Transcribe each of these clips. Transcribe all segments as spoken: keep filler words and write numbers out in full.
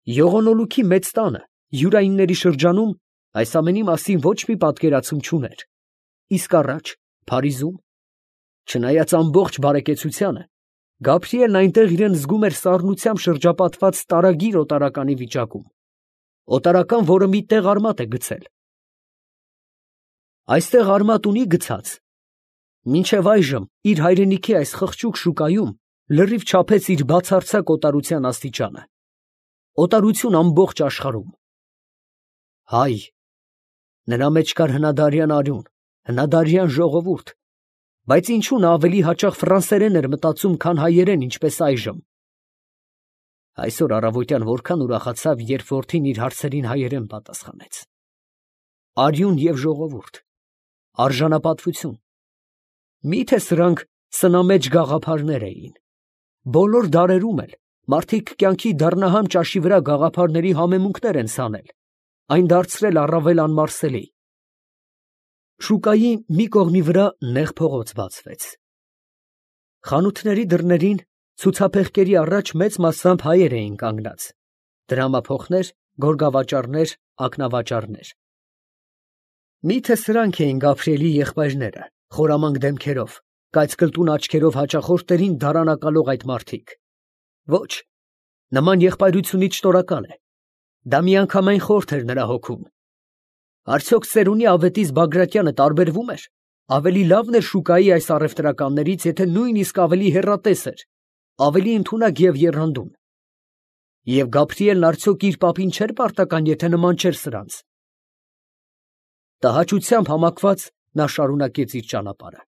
Եղոնոլուքի մեծ տանը, յուրայինների շրջանում, այս ամենի մասին ոչ մի պատկերացում չուներ, իսկ առաջ, Փարիզում, չնայած ամբողջ բարեկեցությանը, Գաբրիելն այնտեղ իրան զգում էր սառնությամբ շրջապատված տարագիր օտարականի վիճակում, օտարական, որը մի տեղ արմատ է գցել։ Այստեղ արմատ ունի գցած, մինչև այժմ իր հայրենիքի այս խղճուկ շուկայում լրիվ չափեց իր բացարձակ օտարության աստիճանը, օտարություն ամբողջ աշխարհում։ Հայ, նրա մեջ կար հնադարյան արյուն, հնադարյան ժողովուրդ, բայց ինչու նա ավելի հաճախ ֆրանսերեն էր մտածում, քան հայերեն, ինչպես այժմ։ Այսօր առավոտյան որքան ուրախացավ, երբ որդին իր հարցերին հայերեն պատասխանեց։ Արյուն և ժողովուրդ, արժանապատվություն, միթե սրանք սնամեջ գաղափարներ էին։ Բոլոր դարերում էլ մարդիկ կյանքի դառնահամ ճաշի վրա գաղափարների համեմունքներ են ցանել, այն դարձրել առավել անմարսելի։ Շուկայի մի կողմի վրա նեղ փողոց բացվեց։ Խանութների դռներին ցուցափեղկերի առաջ մեծ մասամբ հայեր էին կանգնած, դրամափոխներ, գորգավաճառներ, ակնավաճառներ։ Միթե սրանք էին Գաբրիելի եղբայրները, խորամանկ դեմքերով, կայծկլտուն աչքերով հաճախորդներին դարանակալող այդ մարդիկ։ Ոչ, նման եղբայրությունից շնորհակալ է։ Դա միանգամայն խորթ էր նրա հոգում։ Արդյոք ծերունի ավետիս Բագրատյանը տարբերվում էր, ավելի լավն էր շուկայի այս առևտրականներից, եթե նույնիսկ ավելի հեռատես էր, ավելի ընդունակ և եռանդուն։ Եվ Գաբրիելն արդյոք իր պապին չէր պարտական, եթե նման չէր սրանց։ Տհաճությամբ համակված նա շարունակեց իր ճանապարհը։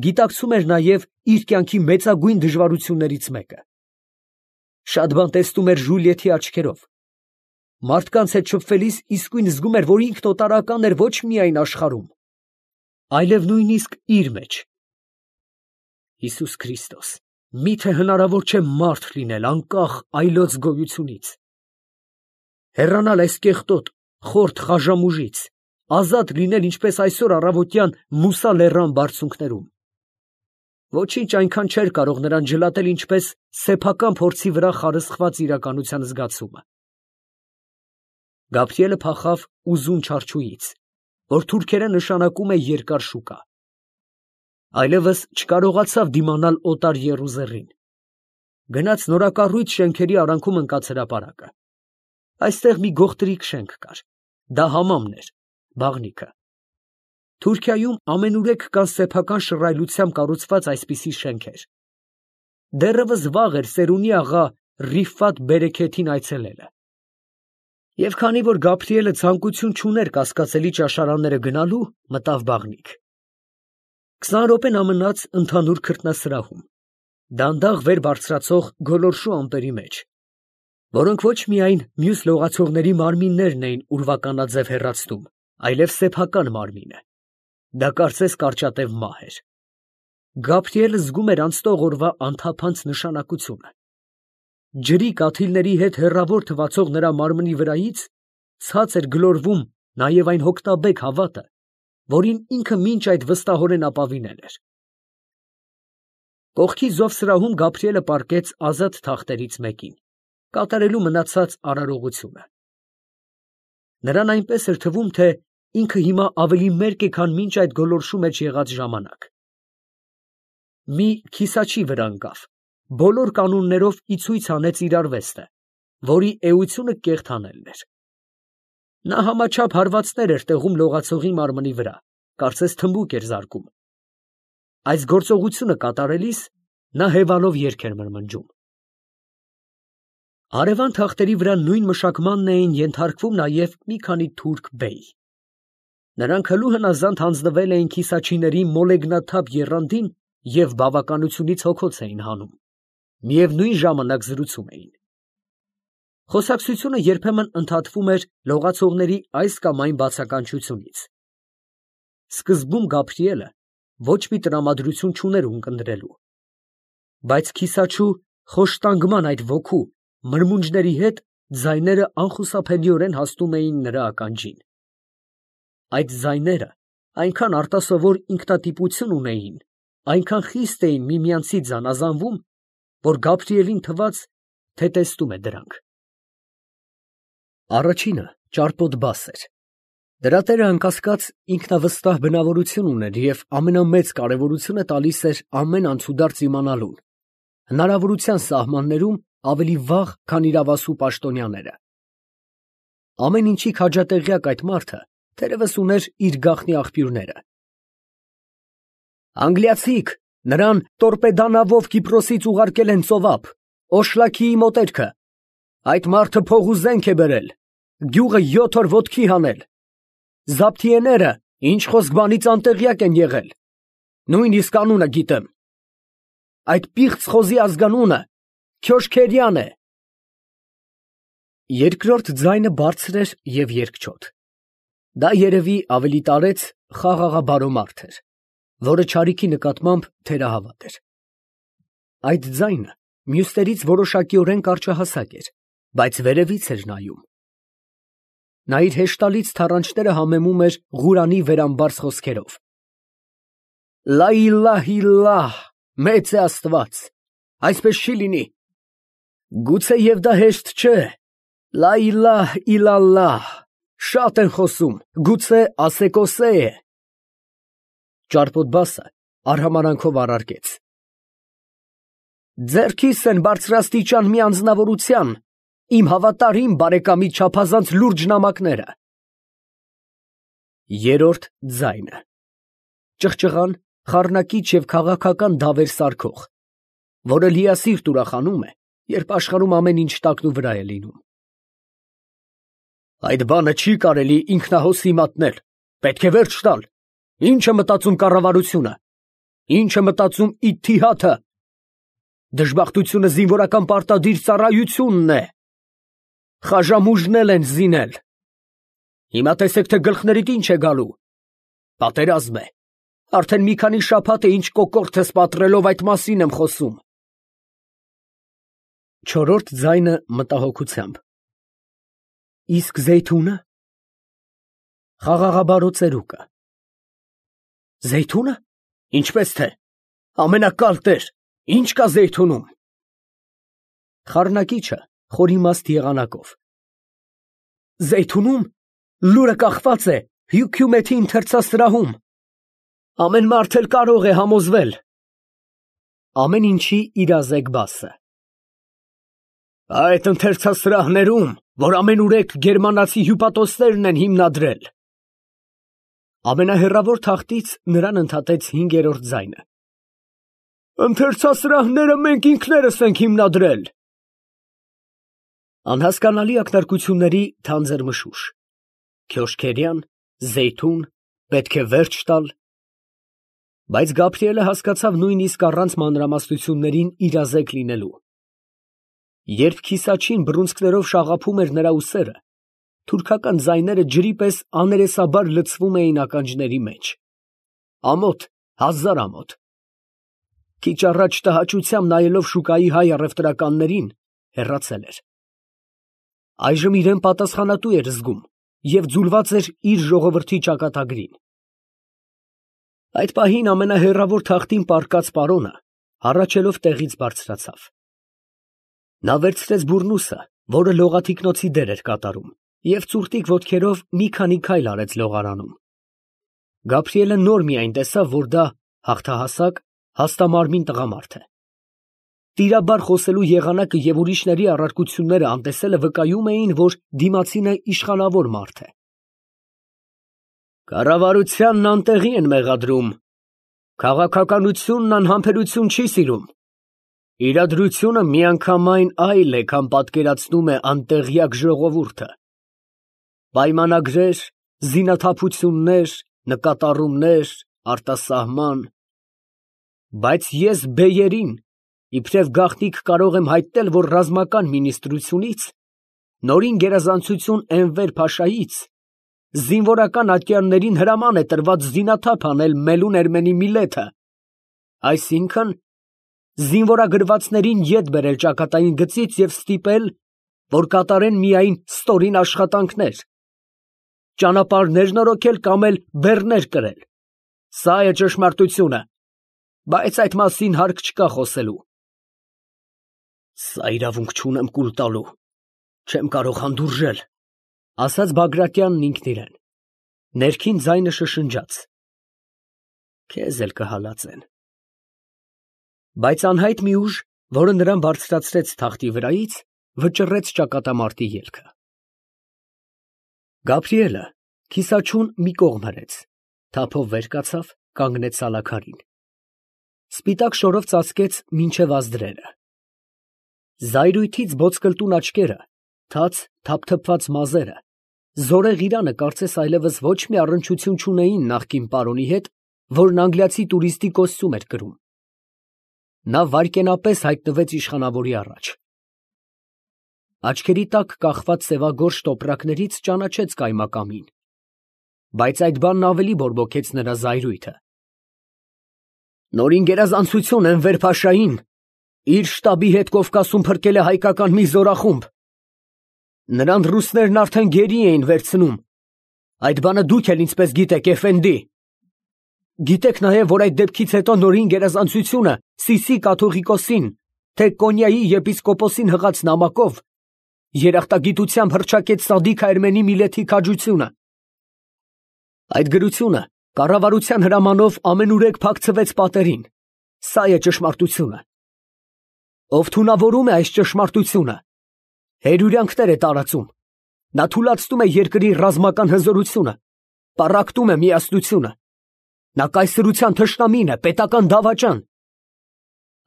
Գիտակցում էր նաև իր կյանքի մեծագույն դժվարություններից մեկը։ Շատ բան տեսնում էր Ժուլիեթի աչքերով։ Մարդկանց հետ շփվելիս իսկույն զգում էր, որ ինքն օտարական էր ոչ միայն աշխարհում, այլև նույնիսկ իր մեջ։ Հիսուս Քրիստոս, միթե հնարավոր չէ մարդ լինել անկախ այլոց գոյությունից, հեռանալ այս կեղտոտ, խորթ խաժամուժից, ազատ լինել ինչպես այսօր առավոտյան Մուսա լեռան բարձունքներում։ Ոչինչ այնքան չէր կարող նրան ջլատել, ինչպես սեփական փորձի վրա խարսխված իրականության զգացումը։ Գաբրիելը փախավ ուզուն չարչուից, որ թուրքերեն նշանակում է երկար շուկա։ Այլևս չկարողացավ դիմանալ օտար եռուզեռին։ Գնաց նորակառույց շենքերի արանքում ընկած հրապարակը։ Այստեղ մի գողտրիկ շենք կար։ Դա համամն էր, բաղնիքը։ Թուրքիայում ամենուրեք կան սեփական շռայլությամբ կառուցված այսպիսի շենքեր։ Դեռևս վաղ էր Սերունի աղա Ռիֆատ Բերեքեթին այցելելը։ Եվ քանի որ Գաբրիելը ցանկություն չուներ կասկածելի ճաշարանները գնալու, մտավ բաղնիք։ Քսան րոպե նա մնաց ընդհանուր քրտնասրահում, դանդաղ վեր բարձրացող գոլորշու ամպերի մեջ, որոնք ոչ միայն մյուս լողացողների մարմիններն էին ուրվականաձև հեռացնում, այլև սեփական մարմինը։ Դա կարծես կարճատև մահ էր։ Գաբրիելը զգում էր անցնող օրվա անթափանց նշանակությունը։ Ջրի կաթիլների հետ հեռավոր թվացող նրա մարմնի վրայից ցած էր գլորվում նաև այն հոգնաբեկ հավատը, որին ինքը մինչ այդ վստահորեն ապավինել էր։ Կողքի զովսրահում Գաբրիելը պառկեց ազատ թախտերից մեկին, կատարելու մնացած արարողությունը։ Նրան այնպես էր թվում, թե ինքը հիմա ավելի մերկ է, քան մինչ այդ գոլորշու մեջ եղած ժամանակ։ Մի քիսաչի վրա ընկավ, բոլոր կանոններով ի ցույց հանեց իր արվեստը, որի էությունը կեղթանելն էր։ Նա համաչափ հարվածներ էր տեղում լողացողի մարմնի վրա, կարծես թմբուկ էր զարկում։ Այս գործողությունը կատարելիս նա հևալով երգ էր մրմնջում։ Հարևան թախտերի վրա նույն մշակմանն էին ենթարկվում նաև մի քանի թուրք բեյ։ Նրանք հլու հնազանդ հանձնվել էին քիսաչիների մոլեգնաթափ եռանդին և բավականությունից հոգոց էին հանում, միևնույն ժամանակ զրուցում էին։ Խոսակցությունը երբեմն ընդհատվում էր լողացողների այս կամ այն բացականչությունից։ Սկզբում Գաբրիելը ոչ մի տրամադրություն չուներ ունկնդրելու, բայց քիսաչու խոշտանգման այդ ոգու մրմունջների հետ ձայները անխուսափելիորեն հասնում էին նրա ականջին։ Այդ ձայները այնքան արտասովոր ինքնատիպություն ունեին, այնքան խիստ էին միմյանցից զանազանվում, որ Գաբրիելին թվաց, թե տեսնում է դրանք։ Առաջինը ճարպոտ բաս էր։ Դրա տերը անկասկած ինքնավստահ բնավորություն ուներ և ամենամեծ կարևորությունը տալիս էր ամեն անցուդարձ իմանալուն, հնարավորության սահմաններում ավելի վաղ, քան իրավասու պաշտոնյաները։ Ամեն ինչի քաջատեղյակ այդ մարդը թերևս ուներ իր գաղտնի աղբյուրները։ Անգլիացիք նրան տորպեդանավով Կիպրոսից ուղարկել են ծովափ, Օշլաքիի մոտերքը, այդ մարդը փող ու զենք է բերել, գյուղը յոթ օր ոտքի հանել, զաբթիեները ինչ խոսք բանից անտեղյակ են եղել, նույնիսկ անունը գիտեմ, այդ պիղծ խոզի ազգանունը Քյոշքերյան է։ Երկրորդ ձայնը բարձր էր և երկչոտ։ Դա երևի ավելի տարեց խաղաղաբարո մարդ էր, որը չարիքի նկատմամբ թերահավատ էր։ Այդ ձայնը մյուսներից որոշակիորեն կարճահասակ էր, բայց վերևից էր նայում։ Նա իր հեշտալից թառանչները համեմում էր Ղուրանի վերամբարձ խոսքերով. «Լա իլահ իլլահ, մեծ է Աստված, այսպես չի լինի, գուցե և դա հեշտ չէ, լա իլահ իլալլահ, շատ են խոսում, գուցե ասեկոսե է»։ Ճարպոտ բասը արհամարանքով առարկեց. «Ձեռքիս են բարձրաստիճան մի անձնավորության, իմ հավատարիմ բարեկամի չափազանց լուրջ նամակները»։ Երրորդ ձայնը ճղճղան, խառնակիչ և քաղաքական դավեր սարքող, որը լիասիրտ ուրախանում է, երբ աշխարհում ամեն ինչ տակնուվրա է լինում։ «Այդ բանը չի կարելի ինքնահոսի մատնել, պետք է վերջ տալ, ի՞նչ է մտածում կառավարությունը, ի՞նչ է մտածում Իթիհադը, դժբախտությունը զինվորական պարտադիր ծառայությունն է, խաժամուժնել են զինել, հիմա տեսեք, թե գլխներիդ ինչ է գալու, պատերազմ է, արդեն մի քանի շաբաթ է ինչ կոկորդ ես պատռելով այդ մասին եմ խոսում»։ Չորրորդ ձայնը մտահոգությամբ. «Իսկ Զեյթունը»։ Խաղաղաբարո ծերուկը. «Զեյթունը, ինչպես թե, ամենակալ տեր, ինչ կա Զեյթունում»։ Խառնակիչը խորիմաստ եղանակով. «Զեյթունում լուրը կախված է Հյությումեթի ընթերցասրահում, ամեն մարդ էլ կարող է համոզվել»։ Ամեն ինչի իրազեկ բասը. «Այդ ընթերցասրահներում, որ ամենուրեք գերմանացի հյուպատոսներն են հիմնադրել»։ Ամենահեռավոր թախտից նրան ընդհատեց հինգերորդ ձայնը. «Ընթերցասրահները մենք ինքներս ենք հիմնադրել»։ Անհասկանալի ակնարկությունների թանձր մշուշ, Քյոշքերյան, Զեյթուն, պետք է վերջ տալ, բայց Գաբրիելը հասկացավ նույնիսկ առանց մանրամասնություններին իրազեկ լինելու։ Երբ քիսաչին բռունցքներով շաղափում էր նրա ուսերը, թուրքական ձայները ջրի պես աներեսաբար լցվում էին ականջների մեջ, ամոթ, հազար ամոթ։ Քիչ առաջ տհաճությամբ նայելով շուկայի հայ առևտրականներին, հեռացել էր։ Այժմ իրան պատասխանատու էր զգում և ձուլված էր իր ժողովրդի ճակատագրին։ Այդ պահին ամենահեռավոր թախտին պառկած պարոնը հառաչելով տեղից բարձրացավ։ Նա վերցրեց բուռնուսը, որը լողաթիկնոցի դեր էր կատարում, և ծուռտիկ ոտքերով մի քանի քայլ արեց լողարանում։ Գաբրիելը նոր միայն տեսավ, որ դա հաղթահասակ, հաստամարմին տղամարդ է։ Տիրաբար խոսելու եղանակը և ուրիշների առարկությունները անտեսելը վկայում էին, որ դիմացինը իշխանավոր մարդ է։ «Կառավարությանն անտեղի են մեղադրում, քաղաքականությունն անհամբերություն չի սիրում, իրադրությունը միանգամայն այլ է, քան պատկերացնում է անտեղյակ ժողովուրդը, պայմանագրեր, զինաթափություններ, նկատառումներ, արտասահման, բայց ես բեյերին իբրև գաղտնիք կարող եմ հայտնել, որ ռազմական մինիստրությունից, նորին գերազանցություն Էնվեր փաշայից, զինվորական ատյաններին հրաման է տրված զինաթափ անել Մելուն Էրմենի միլեթը, այսինքն զինվորագրվածներին ետ բերել ճակատային գծից և ստիպել, որ կատարեն միայն ստորին աշխատանքներ, ճանապարհներ նորոգել կամ էլ բեռներ կրել։ Սա է ճշմարտությունը, բայց այդ մասին հարկ չկա խոսելու»։ «Սա իրավունք չունեմ կուլ տալու, չեմ կարող հանդուրժել, ասաց Բագրատյանն ինքն իրան, ներքին ձայնը շշնջաց. քեզ էլ կհալածեն։ Բայց անհայտ մի ուժ, որը նրան բարձրացրեց թախտի վրայից, վճռեց ճակատամարտի ելքը։ Գաբրիելը քիսաչուն մի կողմ հրեց, թափով վեր կացավ, կանգնեց սալաքարին։ Սպիտակ շորով ծածկեց մինչև ազդրերը։ Զայրույթից ոսկլտուն աչքերը, թաց թափթփված մազերը, զորեղ իրանը կարծես այլևս ոչ մի առնչություն չունեին նախկին պարոնի հետ, որն անգլիացի տուրիստի կոստյում էր կրում։ Նա վայրկենապես հայտնվեց իշխանավորի առաջ։ Աչքերի տակ կախված սևագորշ տոպրակներից ճանաչեց կայմակամին, բայց այդ բանն ավելի բորբոքեց նրա զայրույթը։ Նորին գերազանցություն Էնվեր Փաշային իր շտաբի հետ Կովկասում փրկել է հայկական մի զորախումբ։ Նրան ռուսներն արդեն գերի էին վերցնում։ Այդ բանը դուք էլ ինձպես գիտեք, էֆենդի։ Գիտեք նաև, որ այդ դեպքից հետո նորին գերազանցությունը Սիսի կաթողիկոսին, թե Կոնյայի եպիսկոպոսին հղած նամակով երախտագիտությամբ հռչակեց Սադիկ Այրմենի Միլեթի քաջությունը։ Այդ գրությունը կառավարության հրամանով ամենուրեք փակցվեց պատերին։ Սա է ճշմարտությունը։ Ով թունավորում է այս ճշմարտությունը, հերյուրյանքներ է տարածում։ Նա թուլացնում է երկրի ռազմական հզորությունը, պառակտում է միասնությունը։ Նա կայսրության թշնամին է, պետական դավաճան։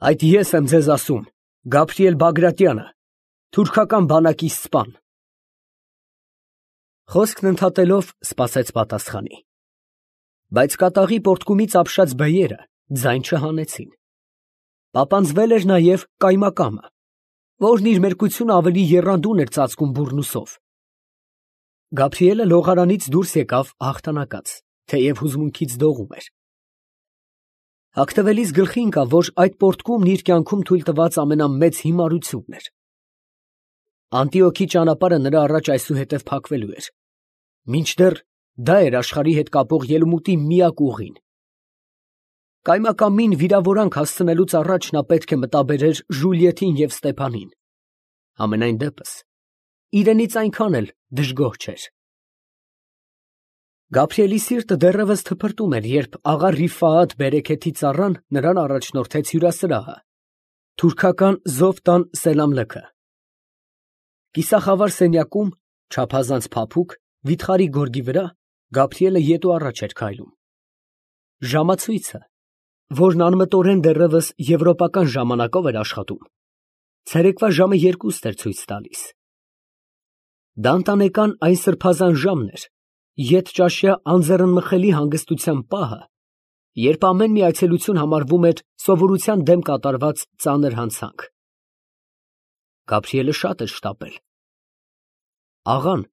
Այդ ես եմ ձեզ ասում, Գաբրիել Բագրատյանը, թուրքական բանակի սպան։ Խոսքն ընդհատելով սպասեց պատասխանի։ Բայց կատաղի պորտկումից ապշած բեյերը ձայն չհանեցին։ Պապանձվել էր նաև կայմակամը, որն իր մերկությունը ավելի եռանդուն էր ծածկում բուռնուսով։ Գաբրիելը լողարանից դուրս եկավ հաղթանակած, թեև հուզմունքից դողում էր։ Հագնվելիս գլխի ընկավ, որ այդ պորտկումն իր կյանքում թույլ տված ամենամեծ հիմարությունն էր։ Անտիոքի ճանապարհը նրա առաջ այսուհետև փակվելու էր, մինչդեռ դա էր աշխարհի հետ կապող ելումուտի միակ ուղին։ Կայմակամին վիրավորանք հասցնելուց առաջ նա պետք է մտաբերեր Ժուլիետին և Ստեփանին։ Համենայն դեպս, իրենից այնքան էլ դժգոհ չէր։ Գաբրիելի սիրտը դեռևս թփրտում էր, երբ աղա Ռիֆաաթ Բերեքեթի ծառան նրան առաջնորդեց հյուրասրահը, թուրքական Զովտան Սելամլեքը։ Կիսախավար սենյակում, չափազանց փափուկ, վիթխարի գորգի վրա, Գաբրիելը ետու առաջ էր քայլում։ Ժամացույցը, որն անմտորեն դեռևս եվրոպական ժամանակով էր աշխատում, ցերեկվա ժամը երկուստ էր ցույց տալիս։ Դա ընտանեկան այն սրբազան ժամն էր, ետճաշյա անձեռնմխելի հանգստության պահը, երբ ամեն մի այցելություն համարվում էր սովորության դեմ կատարված ծանր հանցանք։ Գաբրիելը շատ էր շտապել։ Աղան,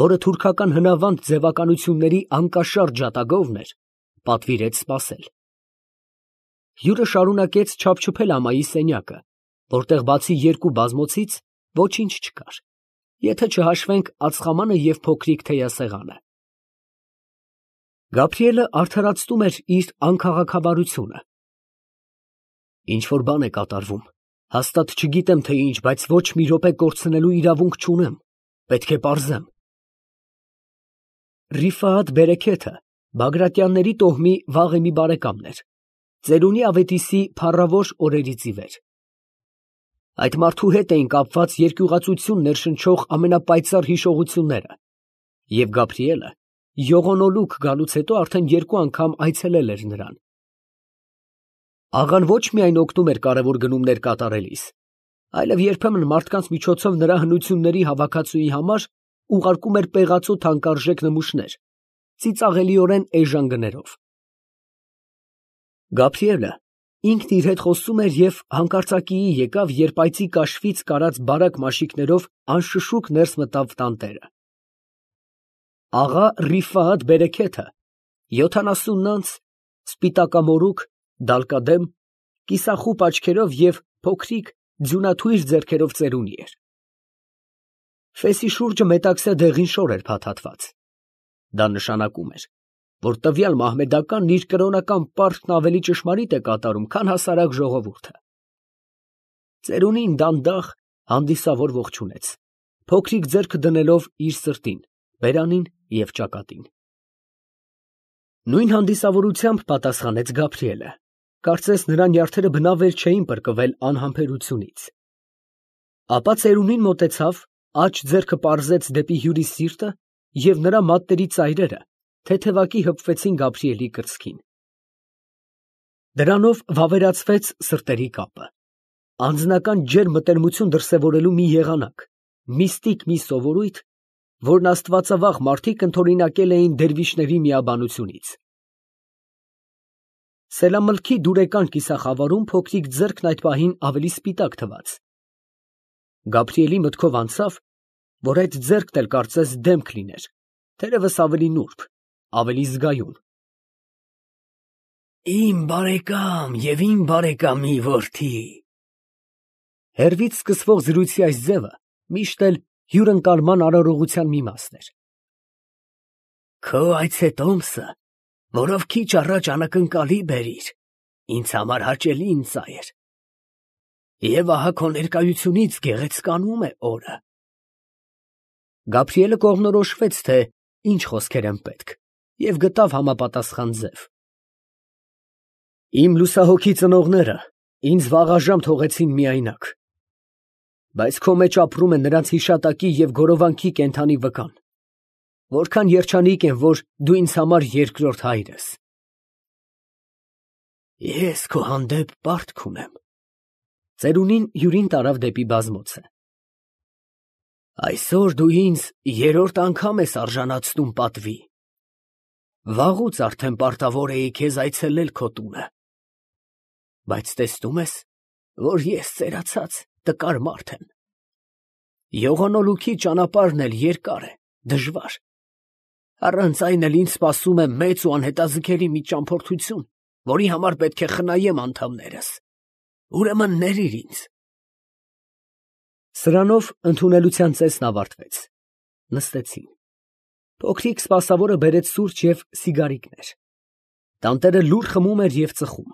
որը թուրքական հնավանդ ձևականությունների անկաշառ ջատագովն էր, պատվիրեց սպասել։ Հյուրը շարունակեց չափչփել ամայի սենյակը, որտեղ բացի երկու բազմոցից ոչինչ չկար, եթե չհաշվենք ածխամանը և փոքրիկ թեյասեղանը։ Գաբրիելը արդարացնում էր իր անքաղաքավարությունը։ Ինչ-որ բան է կատարվում, հաստատ չգիտեմ թե ինչ, բայց ոչ մի րոպե կորցնելու իրավունք չունեմ, պետք է պարզեմ։ Ռիֆաաթ Բերեքեթը Բագրատյանների տոհմի վաղեմի բարեկամն էր, ծերունի Ավետիսի փառավոր օրերից ի վեր։ Այդ մարդու հետ էին կապված երկյուղածություն ներշնչող ամենապայծառ հիշողությունները, և Գաբրիելը յողոնոլուկ գալուց հետո արդեն երկու անգամ այցելել էր նրան։ Աղան ոչ միայն օգնում էր կարևոր գնումներ կատարելիս, այլև երբեմն մարդկանց միջոցով նրա հնությունների հավաքածուի համար ուղարկում էր պեղածո թանկարժեք նմուշներ, ծիծաղելիորեն էժան գներով։ Գաբրիելը ինքն իր հետ խոսում էր և հանկարծակիի եկավ, երբ այծի կաշվից կարած բարակ մաշիկներով անշշուկ ներս մտավ տանտերը։ Աղա Ռիֆաաթ Բերեքեթը յոթանասունն անց, սպիտակամորուք, դալկադեմ, կիսախուպ աչքերով և փոքրիկ ձյունաթույր ձեռքերով ծերունի էր։ Ֆեսի շուրջը մետաքսե դեղին շոր էր փաթաթված։ Դա նշանակում էր, որ տվյալ մահմեդականն իր կրոնական պարտքն ավելի ճշմարիտ է կատարում, քան հասարակ ժողովուրդը։ Ծերունին դանդաղ, հանդիսավոր ողջունեց, փոքրիկ ձեռքը դնելով իր սրտին, բերանին և ճակատին։ Նույն հանդիսավորությամբ պատասխանեց Գաբրիելը, կարծես նրա նյարդերը բնավ էլ չէին պրկվել անհամբերությունից։ Ապա ծերունին մոտեցավ, աջ ձեռքը պարզեց դեպի հյուրի սիրտը, և նրա մատների ծայրերը թեթևակի հպվեցին Գաբրիելի կրծքին։ Դրանով վավերացվեց սրտերի կապը, անձնական ջերմ մտերմություն դրսևորելու մի եղանակ, միստիկ մի սովորույթ, որն աստվածավախ մարդիկ ընդօրինակել էին դերվիշների միաբանությունից։ Սելամլքի դուրեկան կիսախավարում փոքրիկ ձեռքն այդ պահին ավելի սպիտակ թվաց։ Գաբրիելի մտքով անցավ, որ այդ ձեռքն էլ կարծես դեմք լիներ, թերևս ավելի նուրբ, ավելի զգայուն։ Իմ բարեկամ և իմ բարեկամի որդի… Հեռվից սկսվող զրույցի այս ձևը միշտ էլ հյուրընկալման արարողության մի մասն էր։ Քո այցետոմսը, որով քիչ առաջ անակնկալի բերիր, ինձ համար հաճելի իմ ծայր, և ահա քո ներկայությունից գեղեցկանում է օրը… Գաբրիելը կողմնորոշվեց, թե ինչ խոսքեր են պետք, և գտավ համապատասխան ձև. Իմ լուսահոգի ծնողները ինձ վաղաժամ թողեցին միայնակ, բայց քո մեջ ապրում է նրանց հիշատակի և գորովանքի կենդանի վկան, որքան երջանիկ եմ, որ դու ինձ համար երկրորդ հայր ես… Ես քո հանդեպ պարտք ունեմ… Ծերունին հյուրին տարավ դեպի բազմոցը։ Այսօր դու ինձ երրորդ անգամ ես արժանացնում պատվի, վաղուց արդեն պարտավոր էի քեզ այցելել քո տունը, բայց տեսնում ես, որ ես ծերացած, տկար մարդ եմ… Յողանոլուքի ճանապարհն էլ երկար է, դժվար, առանց այն էլ ինձ սպասում է մեծ ու անհետաձգելի մի ճամփորդություն, որի համար պետք է խնայեմ անդամներս… Ուրեմն ներիր ինձ… Սրանով ընդունելության ծեսն ավարտվեց, նստեցին… Փոքրիկ սպասավորը բերեց սուրճ և սիգարիկներ… Տանտերը լուռ խմում էր և ծխում։